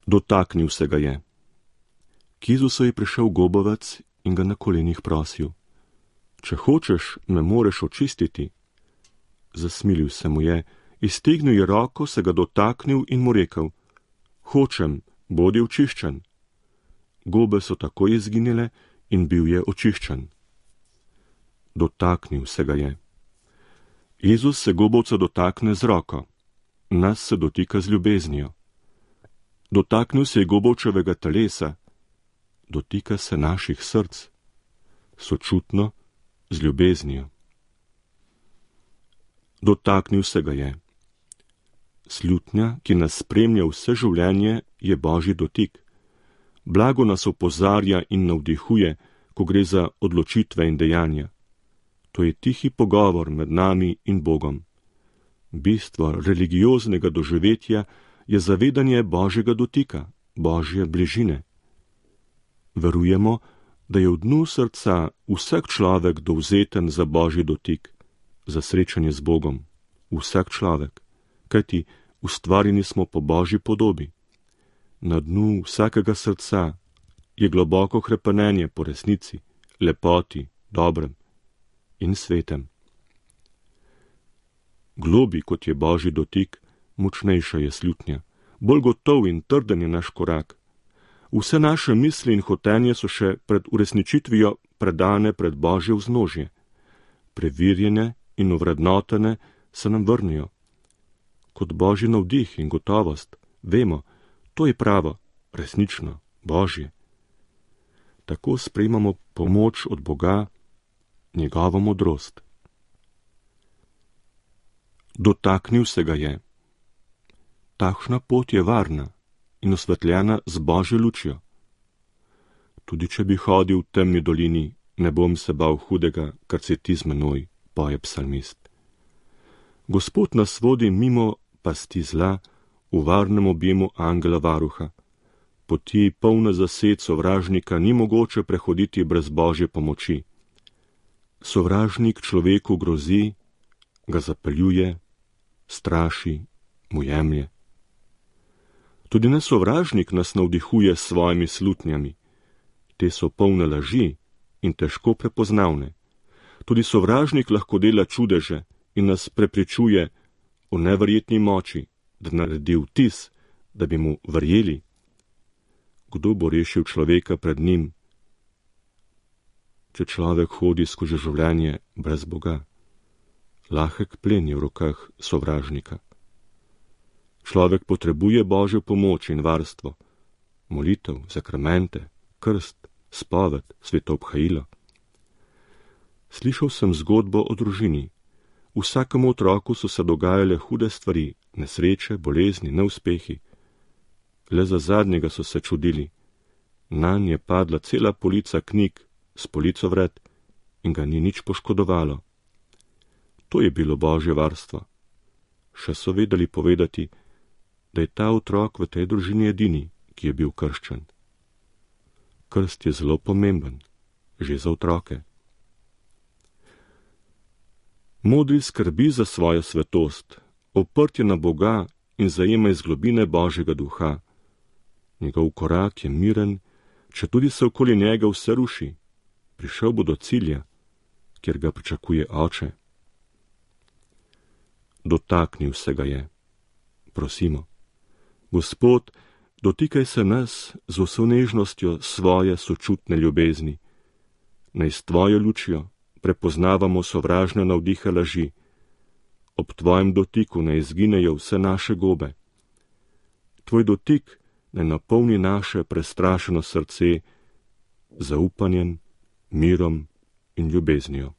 Dotaknil se ga je. K Jezusu je prišel gobavec in ga na kolenih prosil: Če hočeš, me moreš očistiti. Zasmilil se mu je, iztegnil je roko, se ga dotaknil in mu rekel: Hočem, bodi očiščen. Gobe so takoj izginile in bil je očiščen. Dotaknil se ga je. Jezus se gobovca dotakne z roko, nas se dotika z ljubeznijo. Dotaknil se je gobovčevega telesa, dotika se naših src, sočutno, z ljubeznijo. Dotaknil se ga je. Slutnja, ki nas spremlja vse življenje, je Božji dotik. Blago nas opozarja in navdihuje, ko gre za odločitve in dejanja. To je tihi pogovor med nami in Bogom. Bistvo religioznega doživetja je zavedanje Božjega dotika, Božje bližine. Verujemo, da je v dnu srca vsak človek dovzeten za Božji dotik, za srečanje z Bogom. Vsak človek, kajti ustvarjeni smo po Božji podobi. Na dnu vsakega srca je globoko hrepenenje po resnici, lepoti, dobrem in svetem. Globi, kot je Božji dotik, močnejša je slutnja, bolj gotov in trden je naš korak. Vse naše misli in hotenje so še pred uresničitvijo predane pred Božje vznožje. Preverjene in ovrednotene se nam vrnijo. Kot Božji navdih in gotovost, vemo, to je pravo, resnično, Božje. Tako sprejmamo pomoč od Boga, njegovo modrost. Dotaknil se ga je. Takšna pot je varna in osvetljena z Božjo lučjo. Tudi če bi hodil v temni dolini, ne bom se bal hudega, kar si ti z menoj, poje psalmist. Gospod nas vodi mimo pasti zla, v varnem objemu angela varuha. Poti polne zased sovražnika ni mogoče prehoditi brez Božje pomoči. Sovražnik človeku grozi, ga zapeljuje, straši, mu jemlje. Tudi ne sovražnik nas navdihuje s svojimi slutnjami. Te so polne laži in težko prepoznavne. Tudi sovražnik lahko dela čudeže in nas prepričuje o neverjetni moči, da naredi vtis, da bi mu verjeli. Kdo bo rešil človeka pred njim, če človek hodi skozi življenje brez Boga? Lahek plen je v rokah sovražnika. Človek potrebuje Božjo pomoč in varstvo, molitev, sakramente, krst, spoved, svetoobhajilo. Slišal sem zgodbo o družini. Vsakemu otroku so se dogajale hude stvari, nesreče, bolezni, neuspehi. Le za zadnjega so se čudili. Nanj je padla cela polica knjig s polico vred in ga ni nič poškodovalo. To je bilo Božje varstvo. Še so vedeli povedati, da je ta otrok v tej družini edini, ki je bil krščen. Krst je zelo pomemben, že za otroke. Modri skrbi za svojo svetost, oprt je na Boga in zajema iz globine Božjega duha. Njegov korak je miren, če tudi se okoli njega vse ruši. Prišel bo do cilja, kjer ga pričakuje Oče. Dotaknil se ga je. Prosimo, Gospod, dotikaj se nas z vso nežnostjo svoje sočutne ljubezni. Naj s tvojo lučjo prepoznavamo sovražne navdihe laži. Ob tvojem dotiku naj izginejo vse naše gobe. Tvoj dotik naj napolni naše prestrašeno srce z zaupanjem, mirom in ljubeznijo.